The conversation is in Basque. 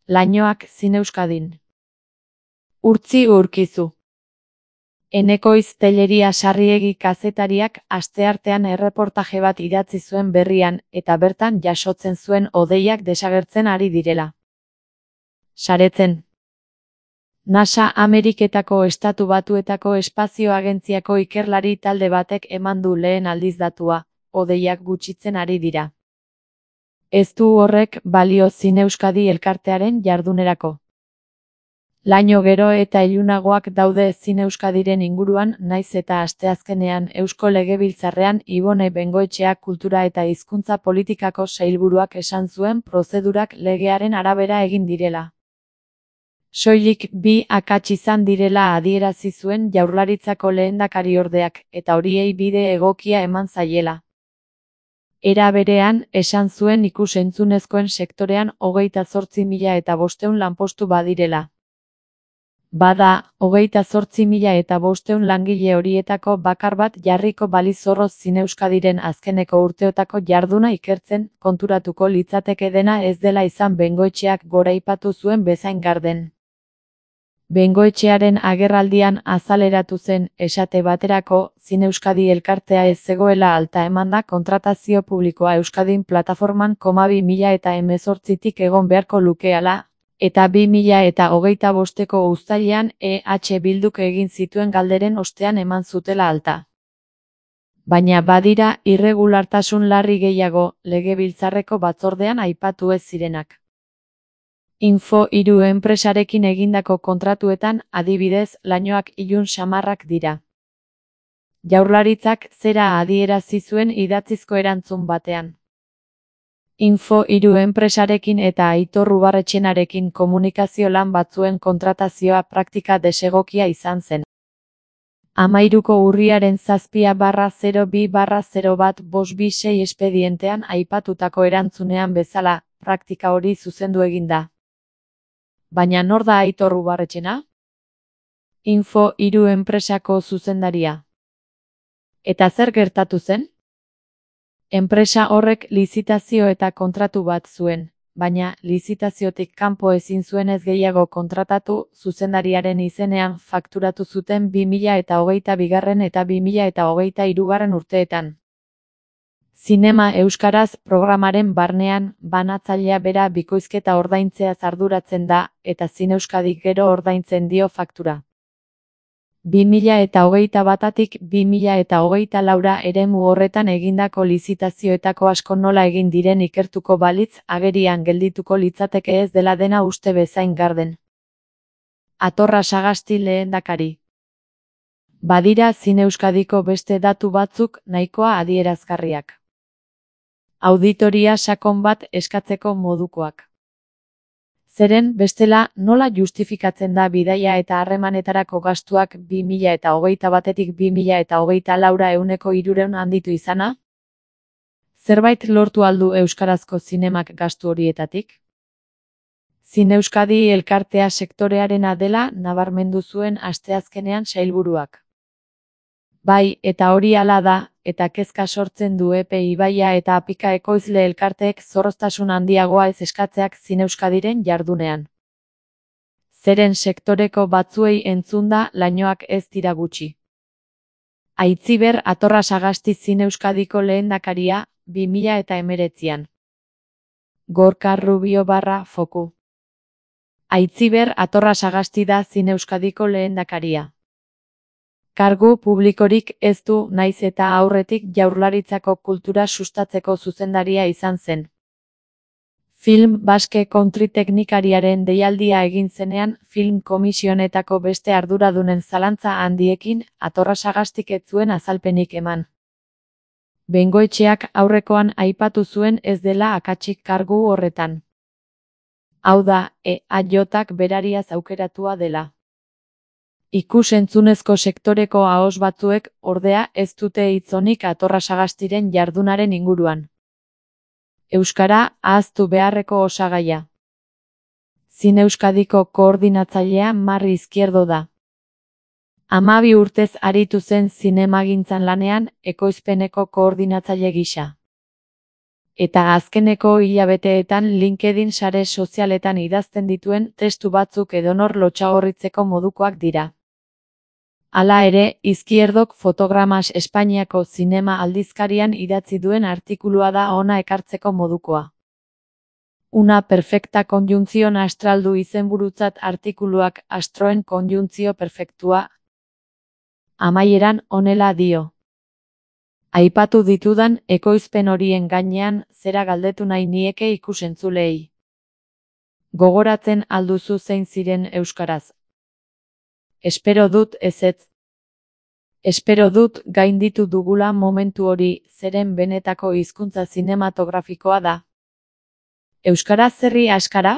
Lainoak Zine Euskadin. Urtzi Urkizu. Enekoiz Telleria Sarriegi kazetariak asteartean erreportaje bat idatzi zuen Berrian eta bertan jasotzen zuen hodeiak desagertzen ari direla. Saretzen. NASA Ameriketako Estatu Batuetako Espazio Agentziako ikerlari talde batek eman du lehen aldiz datua, hodeiak gutxitzen ari dira. Ez du horrek balio Zine Euskadi elkartearen jardunerako. Laino gero eta ilunagoak daude Zine Euskadiren inguruan, naiz eta asteazkenean Eusko Legebiltzarrean Ibone Bengoetxea Kultura eta Hizkuntza Politikako sailburuak esan zuen prozedurak legearen arabera egin direla. Soilik bi akats izan direla adierazi zuen Jaurlaritzako lehendakariordeak, eta horiei bide egokia eman zaiela. Era berean, esan zuen ikus-entzunezkoen sektorean 28.500 lanpostu badirela. Bada, 28.500 langile horietako bakar bat jarriko baliz zorroz Zine Euskadiren azkeneko urteotako jarduna ikertzen, konturatuko litzateke dena ez dela izan Bengoetxeak goraipatu zuen bezain garden. Bengoetxearen agerraldian azaleratu zen, esate baterako, Zine Euskadi elkartea ez zegoela alta emanda kontratazio publikoa Euskadin plataforman 2018tik egon beharko lukeala, eta 2025ko uztailean EH Bilduk egin zituen galderen ostean eman zutela alta. Baina badira irregulartasun larri gehiago, Legebiltzarreko batzordean aipatu ez zirenak. Info3 enpresarekin egindako kontratuetan, adibidez, lainoak ilun samarrak dira. Jaurlaritzak zera adierazi zuen idatzizko erantzun batean. Info3 enpresarekin eta Aitor Ubarretxenarekin komunikazio lan batzuen kontratazioa praktika desegokia izan zen. 13ko urriaren 7/02/01/526 espedientean aipatutako erantzunean bezala, praktika hori zuzendu egin da. Baina nor da Aitor Ubarretxena? Info3 enpresako zuzendaria. Eta zer gertatu zen? Enpresa horrek lizitazio eta kontratu bat zuen, baina lizitaziotik kanpo ezin zuenez gehiago kontratatu, zuzendariaren izenean fakturatu zuten 2022 eta 2023 urteetan. Zinema Euskaraz programaren barnean, banatzailea bera bikoizketa ordaintzeaz arduratzen da, eta Zine Euskadik gero ordaintzen dio faktura. 2021tik 2024 eremu horretan egindako lizitazioetako asko nola egin diren ikertuko balitz, agerian geldituko litzateke ez dela dena uste bezain garden. Atorra Sagasti lehendakari. Badira Zine Euskadiko beste datu batzuk nahikoa adierazgarriak. Auditoria sakon bat eskatzeko modukoak. Zeren, bestela, nola justifikatzen da bidaia eta harremanetarako gastuak 2021tik 2024 300 handitu izana? Zerbait lortu aldu euskarazko zinemak gastu horietatik? Zine Euskadi elkartea sektorearena dela nabarmendu zuen asteazkenean sailburuak. Bai, eta hori hala da, eta kezka sortzen du Ibaia eta Apika ekoizle elkarteek zorroztasun handiagoa ez eskatzeak Zine Euskadiren jardunean. Zeren sektoreko batzuei entzunda, lainoak ez dira gutxi. Aitziber Atorra Sagasti Zine Euskadiko lehendakaria, 2019an. Gorka Rubio /Foku. Aitziber Atorra Sagasti da Zine Euskadiko lehendakaria. Kargu publikorik ez du, naiz eta aurretik Jaurlaritzako kultura sustatzeko zuzendaria izan zen. Film Basque Country teknikariaren deialdia egin zenean, film komisionetako beste arduradunen zalantza handiekin, Atorra Sagastik ez zuen azalpenik eman. Bengoetxeak aurrekoan aipatu zuen ez dela akatsik kargu horretan. Hau da, EAJak berariaz aukeratua dela. Ikus-entzunezko sektoreko ahoz batzuek, ordea, ez dute hitz onik Atorra Sagastiren jardunaren inguruan. Euskara ahaztu beharreko osagaia. Zine Euskadiko koordinatzailea Marri Izquierdo da. 12 urtez aritu zen zinemagintzan lanean, ekoizpeneko koordinatzaile gisa. Eta azkeneko hilabeteetan LinkedIn sare sozialetan idazten dituen testu batzuk edonor lotsagorritzeko modukoak dira. Hala ere, Izquierdok Fotogramas Espainiako zinema aldizkarian idatzi duen artikulua da hona ekartzeko modukoa. Una perfecta conjunción astral du izenburutzat artikuluak astroen konjuntzio perfektua. Amaieran honela dio. Aipatu ditudan ekoizpen horien gainean zera galdetu nahi nieke ikusentzulei. Gogoratzen alduzu zein ziren euskaraz. Espero dut ezetz. Espero dut gainditu dugula momentu hori, zeren benetako hizkuntza zinematografikoa da. Euskaraz zerri askara?